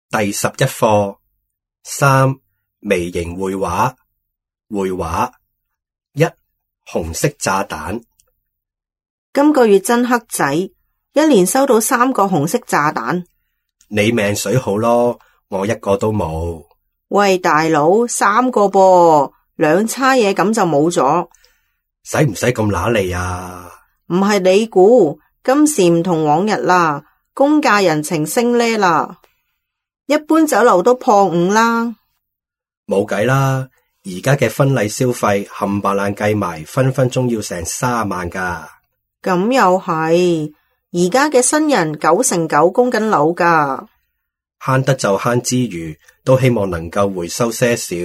第11課3微型繪畫。繪畫1紅色炸彈。今個月真黑仔，一連收到3個紅色炸彈。你命水好咯，我一個都冇。喂大佬，3個噃，2叉嘢咁就冇咗。使唔使咁揦脷啊？唔係你估，今時唔同往日啦，公價人情升呢啦，一般酒樓都破5啦。冇計啦，而家嘅婚禮消費冚唪唥計埋，分分鐘要成30萬噶。咁又係，而家嘅新人9成9供緊樓噶。慳得就慳之餘，都希望能夠回收些少。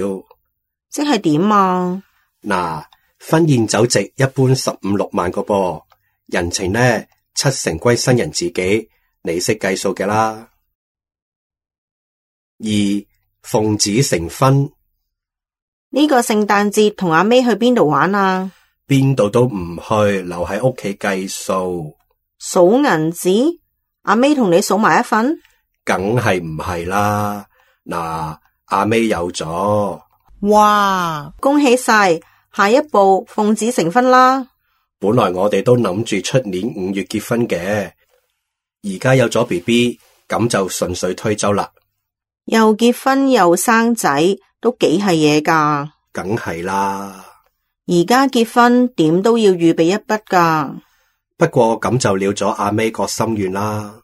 即係點啊？嗱，婚宴酒席一般15、16萬個噃，人情呢7成歸新人自己，你識計數嘅啦。2奉子成婚。呢個聖誕節同阿 May 去邊度玩啊？邊度都唔去，留喺屋企計數。數銀紙？阿 May 同你數埋一份？梗係唔係啦。嗱，阿 May 有咗。哇，恭喜晒！下一步奉子成婚啦。本來我哋都諗住出年5月結婚嘅，而家有咗 BB， 咁就順水推舟啦。又結婚又生仔，都幾係嘢噶。梗係啦。而家結婚點都要預備一筆噶。不過咁就了咗阿 May 個心願啦。